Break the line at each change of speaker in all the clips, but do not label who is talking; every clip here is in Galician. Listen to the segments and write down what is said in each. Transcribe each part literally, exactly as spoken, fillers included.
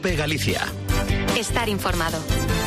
COPE Galicia.
Estar informado.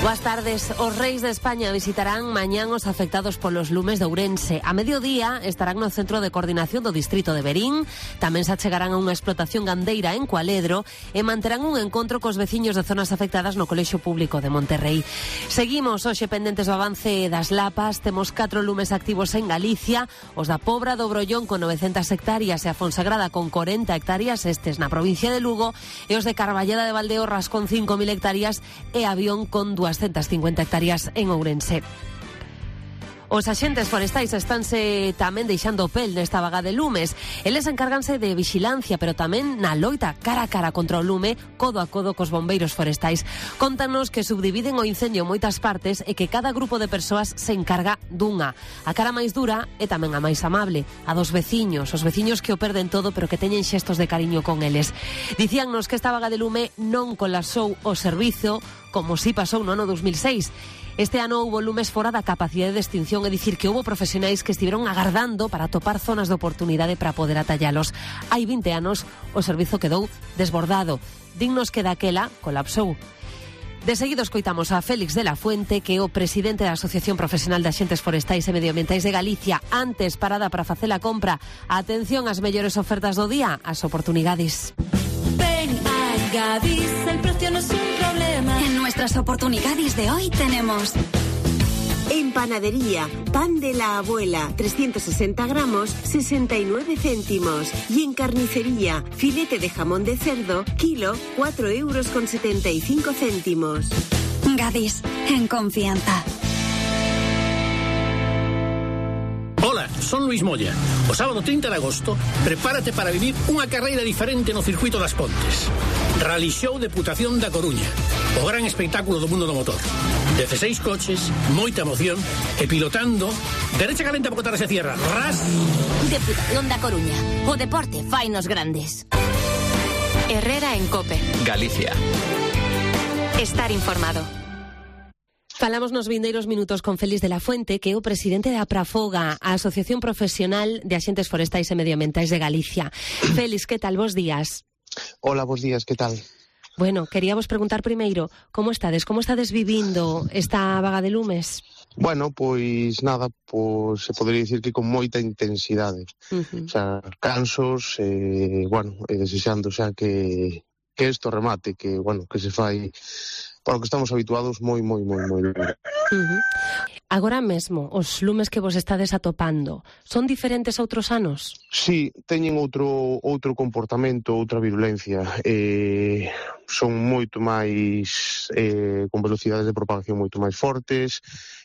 Boas tardes. Os reis de España visitarán mañán os afectados polos lumes de Ourense. A mediodía estarán no Centro de Coordinación do Distrito de Verín. Tamén se achegarán a unha explotación gandeira en Cualedro e manterán un encontro cos veciños de zonas afectadas no Colexio Público de Monterrey. Seguimos hoxe pendentes do avance das lapas. Temos catro lumes activos en Galicia. Os da Pobra do Brollón con novecentas hectáreas e a Fonsagrada con corenta hectáreas, estes na provincia de Lugo, e os de Carballeda de Valdeorras con cinco mil hectáreas e Avión con doscientas cincuenta hectáreas en Ourense. Os axentes forestais estánse tamén deixando pel nesta vaga de lumes. Eles encárganse de vixilancia, pero tamén na loita cara a cara contra o lume, codo a codo cos bombeiros forestais. Contanos que subdividen o incendio en moitas partes e que cada grupo de persoas se encarga dunha. A cara máis dura é tamén a máis amable, a dos veciños, os veciños que o perden todo pero que teñen xestos de cariño con eles. Dicíannos que esta vaga de lume non colapsou o servizo como si pasou no ano dos mil seis. Este ano houbo lumes fora da capacidade de extinción, é dicir, que houbo profesionais que estiveron agardando para topar zonas de oportunidade para poder atallalos. Hai vinte anos o servizo quedou desbordado. Dignos que daquela colapsou. De seguido escoitamos a Félix de la Fuente, que é o presidente da Asociación Profesional de Axentes Forestais e Medioambientais de Galicia. Antes, parada para facer a compra. Atención ás mellores ofertas do día, as oportunidades.
Ven a Gadis, el precio no es un problema.
En nuestras oportunidades de hoy tenemos...
En panadería, pan de la abuela, trescientos sesenta gramos, sesenta y nueve céntimos. Y en carnicería, filete de jamón de cerdo, kilo, cuatro euros con setenta y cinco céntimos.
Gadis, en confianza.
Hola, son Luis Moya. O sábado trinta de agosto, prepárate para vivir unha carreira diferente no circuito das Pontes. Rally Show Deputación da Coruña. O gran espectáculo do mundo do motor. dezasseis coches, moita emoción e pilotando. Derecha calenta porque tarde se cierra. Ras.
Deputación da Coruña. O deporte fainos grandes. Herrera en COPE
Galicia.
Estar informado.
Falamos nos vindeiros minutos con Félix de la Fuente, que é o presidente da Prafoga, a Asociación Profesional de Axentes Forestais e Medioambientais de Galicia. Félix, que tal? Bos días.
Hola, bos días, que tal?
Bueno, queríamos preguntar primeiro, como estades? Como estades vivindo esta vaga de lumes?
Bueno, pois nada, pois se podería dicir que con moita intensidade. Uh-huh. O sea, cansos, eh, bueno, e desexando xa que, que isto remate, que, bueno, que se fai... Para o que estamos habituados moi, moi, moi, moi duro.
Uh-huh. Agora mesmo, os lumes que vos estades atopando, son diferentes a outros anos?
Sí, teñen outro outro comportamento, outra virulencia. Eh, son moito máis, eh, con velocidades de propagación moito máis fortes,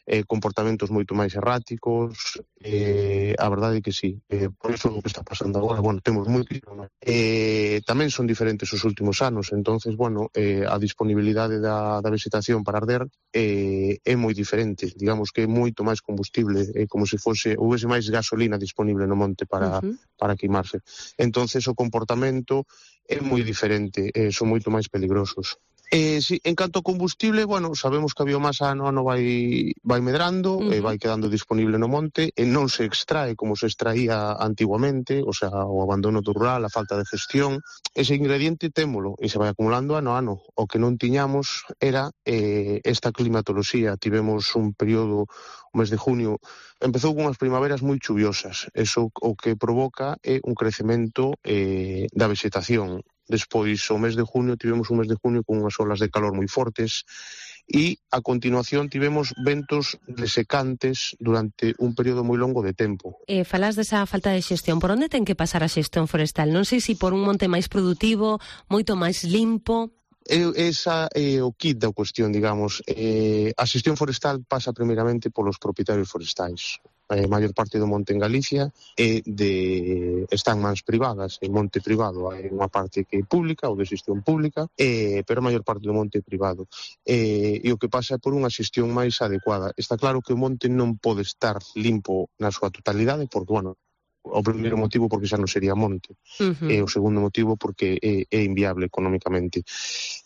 eh, comportamentos moito máis erráticos. Eh, a verdade é que sí, eh, por iso o que está pasando agora, bueno, temos moitísimo, ¿no? Eh, tamén son diferentes os últimos anos, entonces, bueno, eh, a disponibilidade da, da vegetación para arder eh, é moi diferente, digamos que é moito máis combustible, é como se fose, houvese máis gasolina disponible no monte para, uh-huh. para queimarse. Entonces o comportamento é moi diferente, eh, son moito máis peligrosos. Eh, sí, en canto ao combustible, bueno, sabemos que a biomasa ano a ano vai, vai medrando, uh-huh. eh, vai quedando disponible no monte, e non se extrae como se extraía antiguamente, o sea, o abandono do rural, a falta de gestión. Ese ingrediente témolo e se vai acumulando ano a ano. O que non tiñamos era eh, esta climatoloxía. Tivemos un período, o mes de junio, empezou con unhas primaveras moi chuviosas. Eso o que provoca é un crecemento eh, da vegetación. Despois, o mes de junio, tivemos un mes de junio con unhas olas de calor moi fortes e, a continuación, tivemos ventos desecantes durante un período moi longo de tempo.
Eh, falas desa falta de xestión. Por onde ten que pasar a xestión forestal? Non sei se por un monte máis produtivo, moito máis limpo...
Esa é o kit da cuestión, digamos. Eh, a xestión forestal pasa primeiramente polos propietarios forestais. A maior parte do monte en Galicia é de, está en mans privadas, en monte privado. Hai unha parte que é pública ou de xestión pública, eh, pero a maior parte do monte é privado. Eh, e o que pasa é por unha xestión máis adecuada. Está claro que o monte non pode estar limpo na súa totalidade, porque, bueno, o primeiro motivo porque xa non sería monte, uh-huh. e o segundo motivo porque é, é inviable económicamente.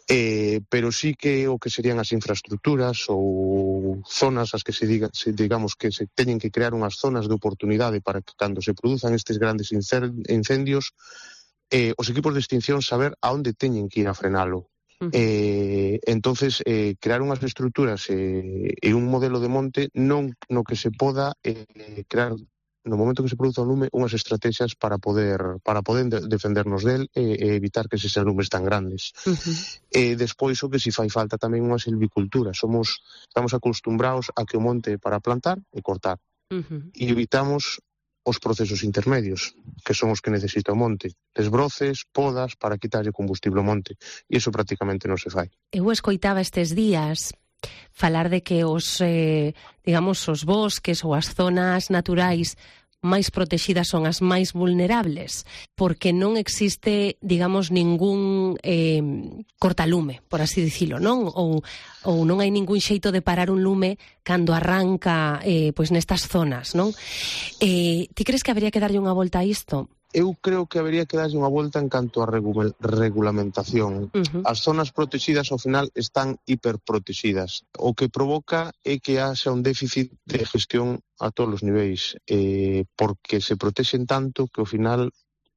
Eh, pero sí que o que serían as infraestructuras ou zonas as que se diga, se, digamos que se teñen que crear unhas zonas de oportunidade para que cando se produzan estes grandes incendios, eh, os equipos de extinción saber a onde teñen que ir a frenalo. Uh-huh. Eh, entonces, eh, crear unhas estruturas eh, e un modelo de monte non no que se poda eh, crear no momento que se produza un lume unhas estrategias para poder para poder de, defendernos del e, e evitar que se sean lumes tan grandes. Uh-huh. E despois o que si fai falta tamén unha silvicultura. Somos estamos acostumbrados a que o monte é para plantar e cortar. Uh-huh. E evitamos os procesos intermedios, que son os que necesita o monte. Desbroces, podas, para quitarlle combustible ao monte. E iso prácticamente non se fai.
Eu escoitaba estes días falar de que os, eh, digamos, os bosques ou as zonas naturais máis protegidas son as máis vulnerables, porque non existe, digamos, ningún eh, cortalume, por así dicilo, non? Ou, ou non hai ningún xeito de parar un lume cando arranca eh, pois nestas zonas, non? Eh, ti crees que habería que darlle unha volta a isto?
Eu creo que habería que darlle unha volta en canto a regula- regulamentación. Uh-huh. As zonas protegidas ao final están hiperprotegidas. O que provoca é que haxa un déficit de gestión a todos os niveis, eh, porque se protexen tanto que ao final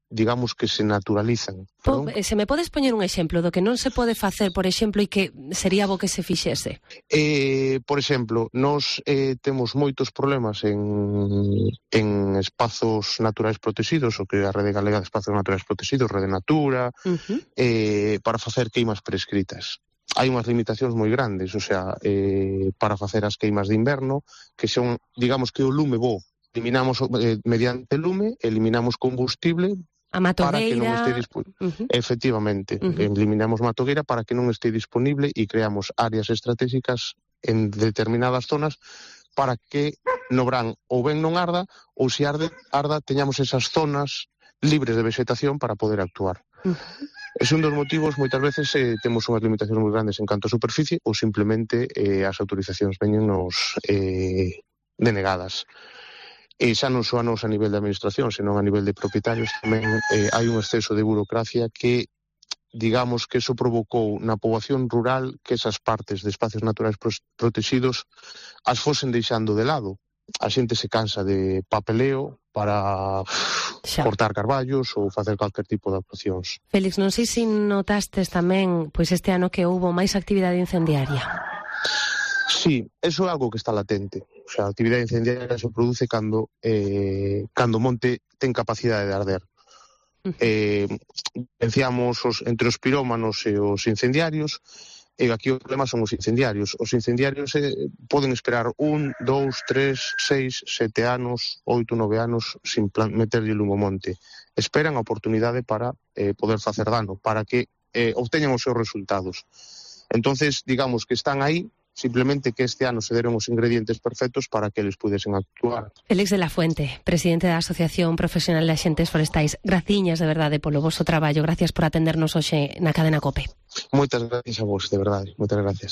digamos que se naturalizan.
Po, se me podes poñer un exemplo do que non se pode facer, por exemplo, e que sería bo que se fixese?
Eh, por exemplo, nós eh, temos moitos problemas en, en espazos naturais protegidos, o que a Rede Galega de Espazos Naturais Protegidos, Rede Natura, uh-huh. eh, para facer queimas prescritas. Hai unhas limitacións moi grandes, o sea, eh, para facer as queimas de inverno, que son, digamos que o lume bo, eliminamos eh, mediante lume, eliminamos combustible,
a matogueira,
para que non este disponible. Uh-huh. Efectivamente, uh-huh. eliminamos matogueira para que non este disponible e creamos áreas estratégicas en determinadas zonas para que no verán ou ben non arda ou se arde, arda teñamos esas zonas libres de vegetación para poder actuar. Uh-huh. Es un dos motivos, moitas veces eh, temos unhas limitacións moi grandes en canto a superficie ou simplemente eh, as autorizacións veñen nos eh, denegadas. E xa non só a nos a nivel de administración, senón a nivel de propietarios tamén eh, hai un exceso de burocracia que, digamos, que eso provocou na poboación rural que esas partes de espacios naturais protegidos as fosen deixando de lado. A xente se cansa de papeleo para xa. cortar carballos ou facer calquer tipo de actuacións.
Félix, non sei se notastes tamén pois este ano que houbo máis actividade incendiaria.
Sí, eso é algo que está latente. O sea, a actividade incendiaria se produce cando eh, cando o monte ten capacidade de arder. Uh-huh. Eh, diferenciamos os, entre os pirómanos e os incendiarios, e aquí o problema son os incendiarios. Os incendiarios eh, poden esperar un, dous, tres, seis, sete anos, oito, nove anos sin plan- meterlle lume ao monte. Esperan a oportunidade para eh, poder facer dano, para que eh, obteñan os seus resultados. Entonces, digamos que están aí, simplemente que este ano se deron os ingredientes perfectos para que eles pudesen actuar.
Félix de la Fuente, presidente da Asociación Profesional de Axentes Forestais, graciñas de verdade polo voso traballo, gracias por atendernos hoxe na cadena COPE.
Moitas gracias a vos, de verdade, moitas gracias.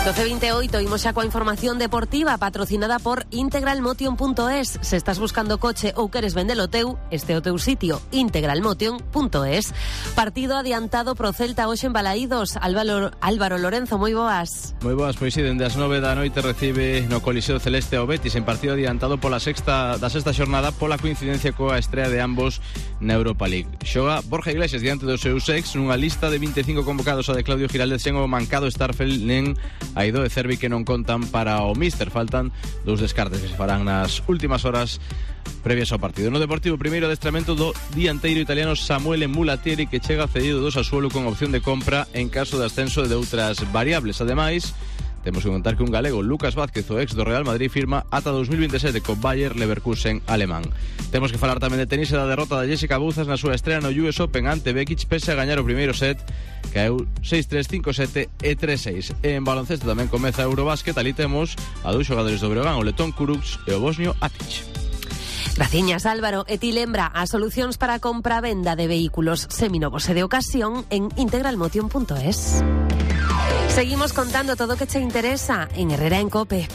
doce vinte e oito, imos xa coa información deportiva patrocinada por integralmotion punto es. Se estás buscando coche ou queres vendelo teu, este é o teu sitio, integralmotion punto es. Partido adiantado pro Celta hoxe en Balaídos. Álvaro, Álvaro Lorenzo, moi boas.
Moi boas, pois si, dende as nove da noite recibe no Coliseo Celeste ao Betis en partido adiantado pola sexta da sexta xornada pola coincidencia coa estrea de ambos na Europa League. Xoga Borja Iglesias diante dos seus ex nunha lista de vinte e cinco convocados a de Claudio Giraldez sen o mancado Starfelt nen Aido e Cervi que non contan para o míster. Faltan dous descartes que se farán nas últimas horas previas ao partido. No Deportivo, primeiro adestramento do dianteiro italiano Samuele Mulatieri, que chega cedido do Sassuolo con opción de compra en caso de ascenso de outras variables. Ademais, temos que contar que un galego, Lucas Vázquez, o ex do Real Madrid, firma ata dos mil veintesete co Bayer Leverkusen alemán. Temos que falar tamén de tenis e da derrota da Jessica Bouzas na súa estrela no U S Open ante Bekic, pese a gañar o primeiro set, caeu seis tres, cinco sete e tres seis. E en baloncesto tamén comeza Eurobásquet, ali temos a dous xogadores do Breogán, o letón Kurucs e o bosnio Atic.
Graciñas, Álvaro. E ti lembra as solucións para a compra-venda de vehículos seminovos e de ocasión en integralmotion punto es. Seguimos contando todo o que che interesa en Herrera en COPE.